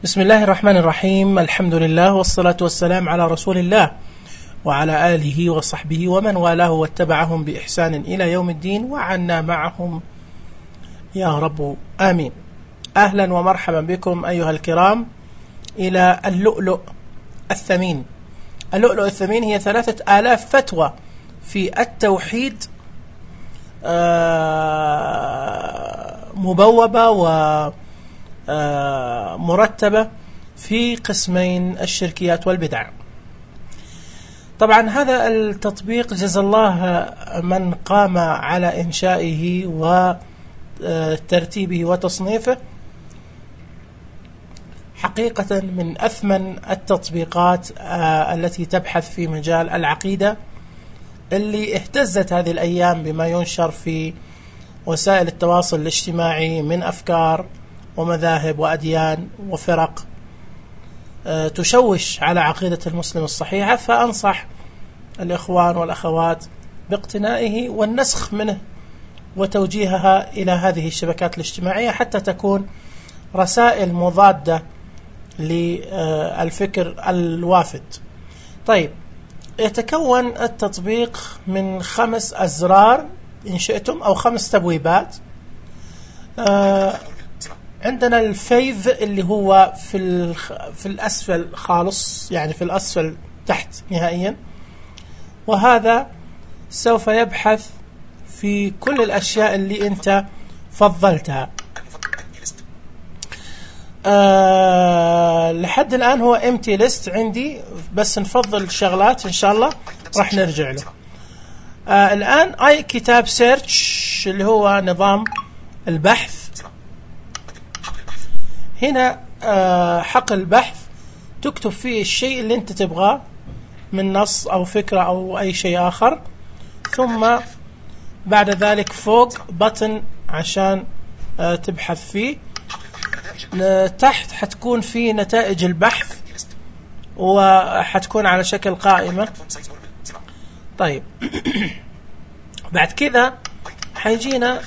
بسم الله الرحمن الرحيم. الحمد لله والصلاة والسلام على رسول الله وعلى آله وصحبه ومن والاه واتبعهم بإحسان إلى يوم الدين وعنا معهم يا رب آمين. أهلا ومرحبا بكم أيها الكرام إلى اللؤلؤ الثمين. اللؤلؤ الثمين هي 3000 فتوى في التوحيد مبوبة ومرتبة في قسمين: الشركيات والبدع. طبعا هذا التطبيق جزا الله من قام على إنشائه وترتيبه وتصنيفه حقيقة من أثمن التطبيقات التي تبحث في مجال العقيدة، اللي اهتزت هذه الأيام بما ينشر في وسائل التواصل الاجتماعي من أفكار ومذاهب وأديان وفرق تشوش على عقيدة المسلم الصحيحة. فأنصح الإخوان والأخوات باقتنائه والنسخ منه وتوجيهها إلى هذه الشبكات الاجتماعية حتى تكون رسائل مضادة للفكر الوافد. طيب، يتكون التطبيق من 5 أزرار إن شئتم أو 5 تبويبات. عندنا الفيذ اللي هو في الأسفل خالص، يعني في الأسفل تحت نهائيا، وهذا سوف يبحث في كل الأشياء اللي أنت فضلتها. لحد الآن هو empty list عندي، بس نفضل شغلات إن شاء الله راح نرجع له. الآن أي كتاب سيرش اللي هو نظام البحث. هنا حقل البحث تكتب فيه الشيء اللي أنت تبغاه من نص أو فكرة أو أي شيء آخر، ثم بعد ذلك فوق بطن عشان تبحث فيه. تحت حتكون في نتائج البحث وحتكون على شكل قائمة. طيب بعد كذا حيجينا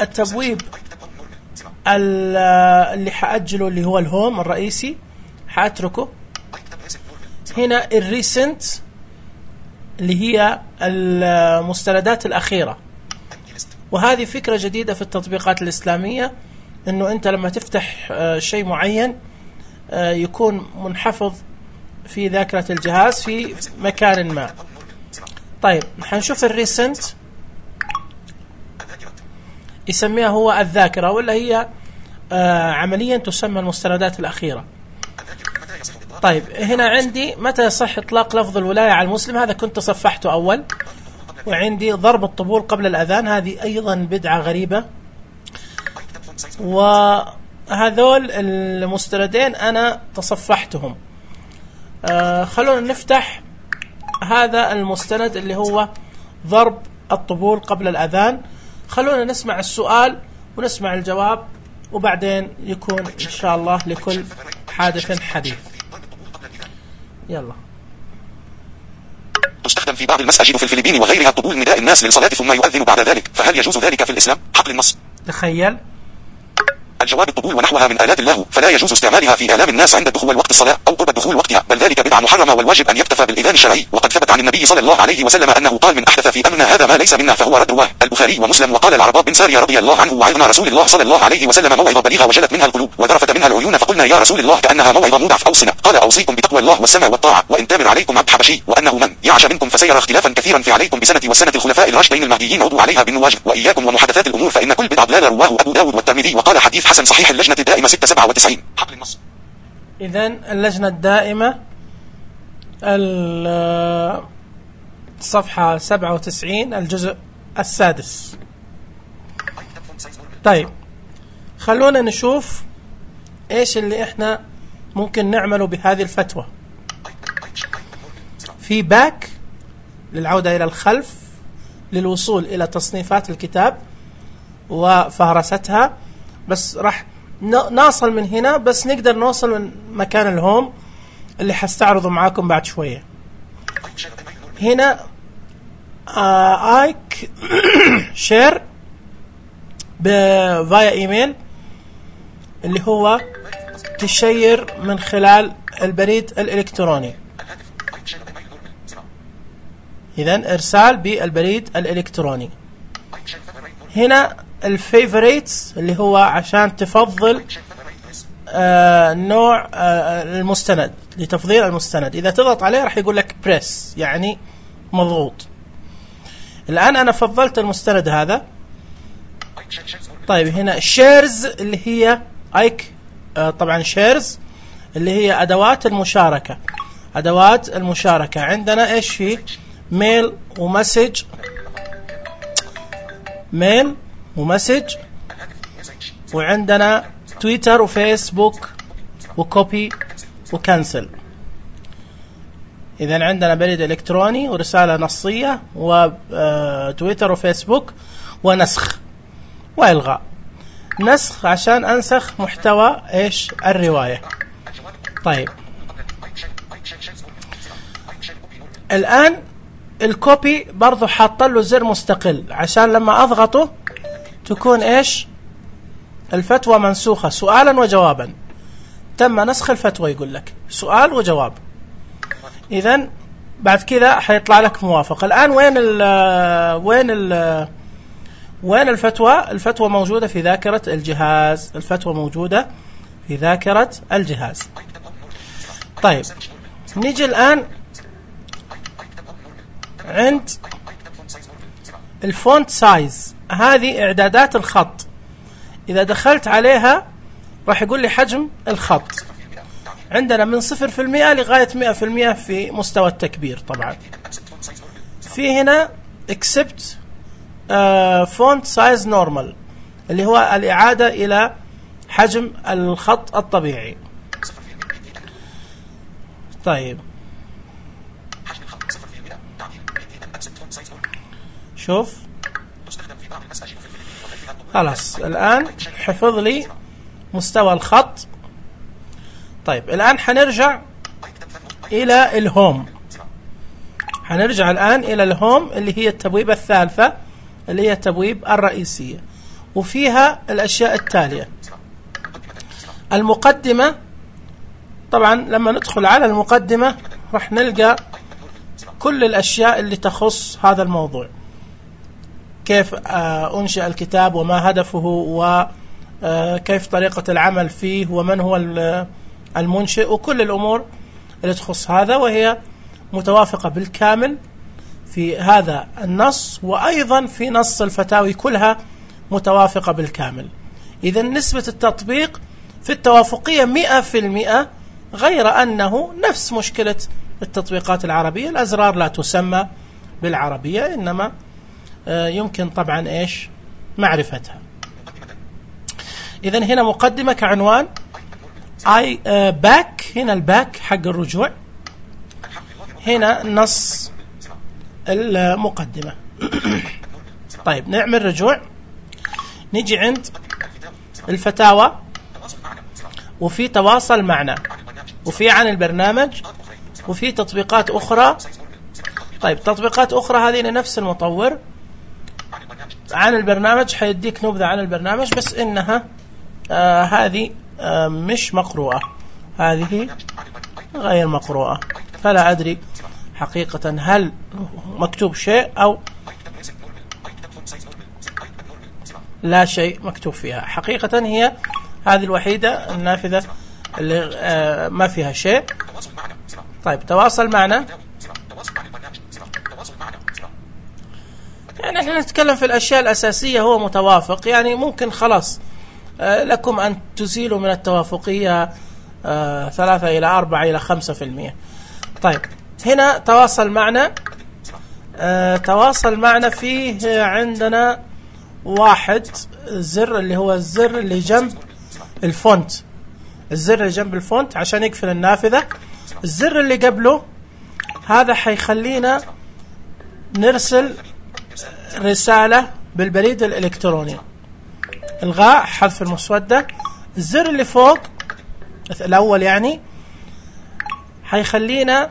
التبويب اللي حأجله اللي هو الهوم الرئيسي، حأتركه. هنا الريسنت اللي هي المستندات الأخيرة، وهذه فكرة جديدة في التطبيقات الإسلامية، إنه أنت لما تفتح شيء معين يكون منحفظ في ذاكرة الجهاز في مكان ما. طيب حنشوف الريسنت يسميها هو الذاكرة، ولا هي عمليا تسمى المستندات الأخيرة. طيب هنا عندي متى يصح إطلاق لفظ الولاية على المسلم، هذا كنت صفحته أول. وعندي ضرب الطبول قبل الأذان، هذه أيضا بدعة غريبة. وهذول المستندين أنا تصفحتهم. خلونا نفتح هذا المستند اللي هو ضرب الطبول قبل الأذان. خلونا نسمع السؤال ونسمع الجواب، وبعدين يكون إن شاء الله لكل حادث حديث. يلا. تستخدم في بعض المساجد في الفلبين وغيرها طبول نداء الناس للصلاة ثم يؤذن بعد ذلك، فهل يجوز ذلك في الإسلام؟ حقل النص. تخيل. الجواب: الطبول ونحوها من آلات اللهو، فلا يجوز استعمالها في إعلام الناس عند دخول وقت الصلاة أو قرب دخول وقتها، بل ذلك بدعة محرمة، والواجب أن يكتفى بالإذان الشرعي. وقد ثبت عن النبي صلى الله عليه وسلم أنه قال: من أحدث في أمرنا هذا ما ليس منا فهو رد. رواه البخاري ومسلم. وقال العرباض بن سارية رضي الله عنه: وعظنا رسول الله صلى الله عليه وسلم موعظة بليغة وجلت منها القلوب وذرفت منها العيون، فقلنا يا رسول الله كأنها موعظة مودع، فأوصنا. قال: أوصيكم بتقوى الله والسمع والطاعة، وإن تامر عليكم عبد حبشي، وأنه من يعش منكم فسيرى اختلافا كثيرا في عليكم بسنة وسنة الخلفاء الراشدين المهديين عضوا عليها بالنواجذ، وإياكم ومحدثات الأمور فإن كل بدعة ضلالة. رواه أبو داود والترمذي، وقال حديث حسن صحيح. اللجنة الدائمة 697. حقل النص. إذن اللجنة الدائمة الصفحة 97 الجزء السادس. طيب خلونا نشوف إيش اللي إحنا ممكن نعمله بهذه الفتوى. في باك للعودة إلى الخلف للوصول إلى تصنيفات الكتاب وفهرستها، بس راح نوصل من هنا، بس نقدر نوصل من مكان الهوم اللي حستعرضه معاكم بعد شوية. هنا آيك شير فايا إيميل اللي هو تشير من خلال البريد الإلكتروني. إذن إرسال بالبريد الإلكتروني. هنا الفيفوريتس اللي هو عشان تفضل نوع المستند، لتفضيل المستند. إذا تضغط عليه راح يقول لك بريس، يعني مضغوط. الآن أنا فضلت المستند هذا. طيب هنا شيرز اللي هي ايك، طبعا شيرز اللي هي أدوات المشاركة. أدوات المشاركة عندنا إيش في؟ ميل ومسج، ميل ومسج، وعندنا تويتر وفيسبوك وكوبي وكنسل. إذن عندنا بريد إلكتروني ورسالة نصية وتويتر وفيسبوك ونسخ وإلغاء. نسخ عشان أنسخ محتوى إيش؟ الرواية. طيب الآن الكوبي برضو حاط له زر مستقل عشان لما أضغطه تكون إيش؟ الفتوى منسوخة سؤالا وجوابا. تم نسخ الفتوى، يقول لك سؤال وجواب. إذن بعد كذا حيطلع لك موافق. الآن وين الفتوى؟ الفتوى موجودة في ذاكرة الجهاز. الفتوى موجودة في ذاكرة الجهاز. طيب نيجي الآن عند الفونت سايز. هذه إعدادات الخط. إذا دخلت عليها راح يقول لي حجم الخط. عندنا من 0% لغاية 100% في مستوى التكبير. طبعا في هنا accept font size normal اللي هو الإعادة إلى حجم الخط الطبيعي. طيب شوف خلاص الآن حفظ لي مستوى الخط. طيب الآن حنرجع إلى الهوم. حنرجع الآن إلى الهوم اللي هي التبويبة الثالثة اللي هي التبويب الرئيسية، وفيها الأشياء التالية. المقدمة. طبعا لما ندخل على المقدمة راح نلقى كل الأشياء اللي تخص هذا الموضوع، كيف أنشأ الكتاب وما هدفه وكيف طريقة العمل فيه ومن هو المنشئ وكل الأمور اللي تخص هذا، وهي متوافقة بالكامل في هذا النص، وأيضا في نص الفتاوي كلها متوافقة بالكامل. إذا نسبة التطبيق في التوافقية 100%، غير أنه نفس مشكلة التطبيقات العربية، الأزرار لا تسمى بالعربية، إنما يمكن طبعا إيش معرفتها. إذا هنا مقدمة كعنوان باك. هنا الباك حق الرجوع. هنا نص المقدمة. طيب نعمل رجوع. نيجي عند الفتاوى، وفي تواصل معنا، وفي عن البرنامج، وفي تطبيقات أخرى. طيب تطبيقات أخرى هذه لنفس المطور. عن البرنامج حيديك نبذة عن البرنامج، بس إنها هذه مش مقروءة، هذه غير مقروءة، فلا أدري حقيقة هل مكتوب شيء أو لا شيء مكتوب فيها. حقيقة هي هذه الوحيدة النافذة اللي ما فيها شيء. طيب تواصل معنا. يعني احنا نتكلم في الأشياء الأساسية. هو متوافق، يعني ممكن خلاص لكم أن تزيلوا من التوافقية 3 إلى 4 إلى 5%. طيب هنا تواصل معنا. تواصل معنا فيه عندنا واحد زر اللي هو الزر اللي جنب الفونت. الزر اللي جنب الفونت عشان يقفل النافذة. الزر اللي قبله هذا حيخلينا نرسل رسالة بالبريد الإلكتروني. إلغاء حذف المسودة. الزر اللي فوق الأول يعني حيخلينا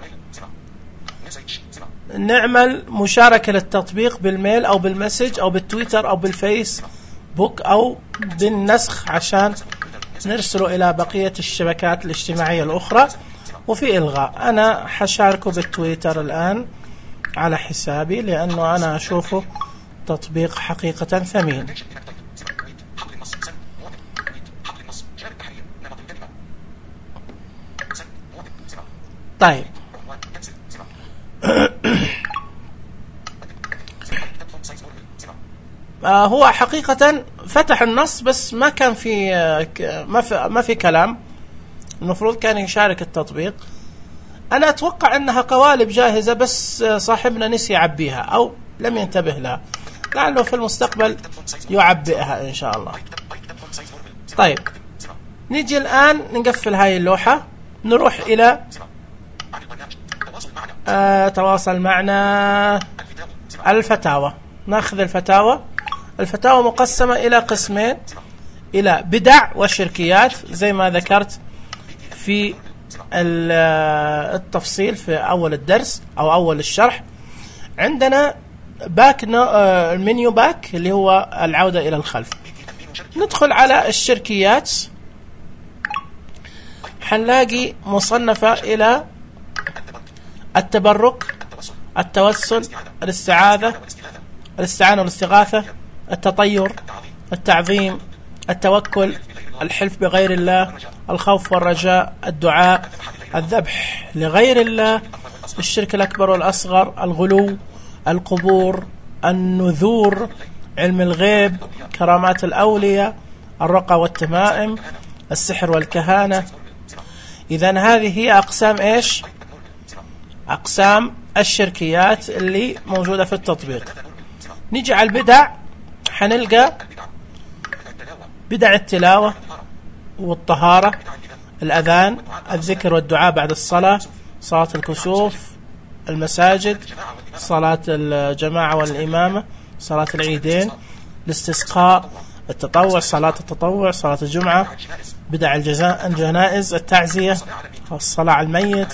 نعمل مشاركة للتطبيق بالميل أو بالمسج أو بالتويتر أو بالفيسبوك أو بالنسخ عشان نرسله إلى بقية الشبكات الاجتماعية الأخرى. وفي إلغاء، أنا حشاركه بالتويتر الآن على حسابي لأنه أنا أشوفه تطبيق حقيقة ثمين. طيب هو حقيقة فتح النص بس ما كان في ما في كلام. المفروض كان يشارك التطبيق. أنا أتوقع أنها قوالب جاهزة بس صاحبنا نسي يعبيها أو لم ينتبه لها، لعله في المستقبل يعبئها إن شاء الله. طيب نيجي الآن نقفل هاي اللوحة، نروح إلى تواصل معنا الفتاوى. نأخذ الفتاوى. الفتاوى مقسمة إلى قسمين، إلى بدع وشركيات زي ما ذكرت في التفصيل في أول الدرس أو أول الشرح. عندنا باك المنيو باك اللي هو العودة إلى الخلف. ندخل على الشركيات، حنلاقي مصنفة إلى التبرك، التوسل، الاستعانة والاستغاثة، التطير، التعظيم، التوكل، الحلف بغير الله، الخوف والرجاء، الدعاء، الذبح لغير الله، الشرك الأكبر والأصغر، الغلو، القبور، النذور، علم الغيب، كرامات الأولياء، الرقى والتمائم، السحر والكهانة. إذن هذه هي أقسام إيش؟ أقسام الشركيات اللي موجودة في التطبيق. نيجي على البدع، حنلقى بدع التلاوة والطهارة، الأذان، الذكر والدعاء بعد الصلاة، صلاة الكسوف، المساجد، صلاة الجماعة والإمامة، صلاة العيدين، الاستسقاء، التطوع، صلاة التطوع، صلاة الجمعة، بدع الجنائز، التعزية، الصلاة على الميت،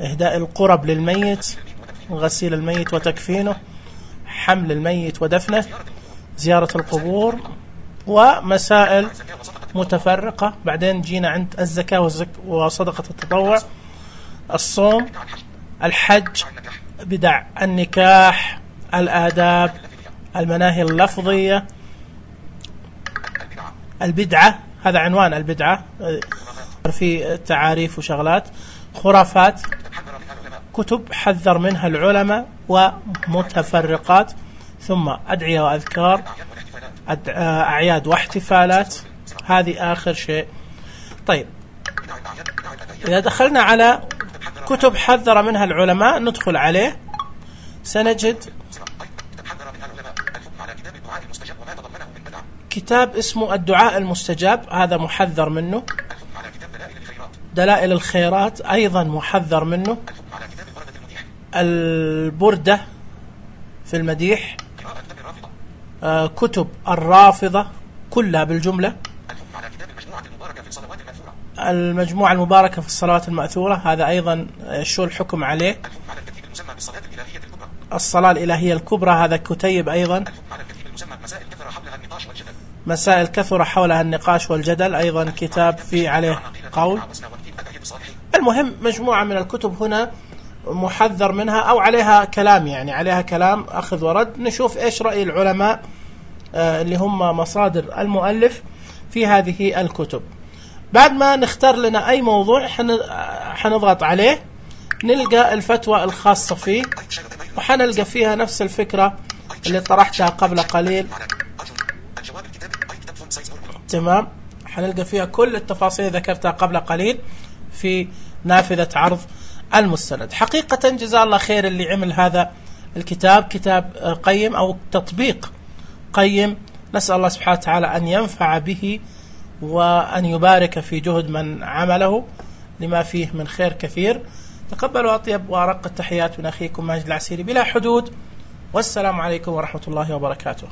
إهداء القرب للميت، غسيل الميت وتكفينه، حمل الميت ودفنه، زيارة القبور، ومسائل متفرقة. بعدين جينا عند الزكاة وصدقة التطوع، الصوم، الحج، بدع النكاح، الآداب، المناهي اللفظية، البدعة، هذا عنوان البدعة في تعاريف وشغلات، خرافات، كتب حذر منها العلماء ومتفرقات، ثم أدعية وأذكار، أعياد واحتفالات. هذه آخر شيء. طيب إذا دخلنا على كتب حذر منها العلماء ندخل عليه، سنجد كتاب اسمه الدعاء المستجاب، هذا محذر منه. دلائل الخيرات أيضا محذر منه. البردة في المديح، كتب الرافضة كلها بالجملة، المجموعة المباركة في الصلوات المأثورة، هذا أيضا شو الحكم عليه. الصلاة الإلهية الكبرى، هذا كتيب أيضا. مسائل كثر حولها النقاش والجدل، أيضا كتاب في عليه قول. المهم مجموعة من الكتب هنا محذر منها أو عليها كلام، يعني عليها كلام أخذ ورد. نشوف إيش رأي العلماء اللي هم مصادر المؤلف في هذه الكتب. بعد ما نختار لنا أي موضوع حنضغط عليه، نلقى الفتوى الخاصة فيه، وحنلقى فيها نفس الفكرة اللي طرحتها قبل قليل. تمام، حنلقى فيها كل التفاصيل ذكرتها قبل قليل في نافذة عرض المستند. حقيقة جزاه الله خير اللي عمل هذا الكتاب، كتاب قيم أو تطبيق قيم. نسأل الله سبحانه وتعالى أن ينفع به وأن يبارك في جهد من عمله لما فيه من خير كثير. تقبلوا أطيب وأرق التحيات من أخيكم ماجد العسيري بلا حدود، والسلام عليكم ورحمة الله وبركاته.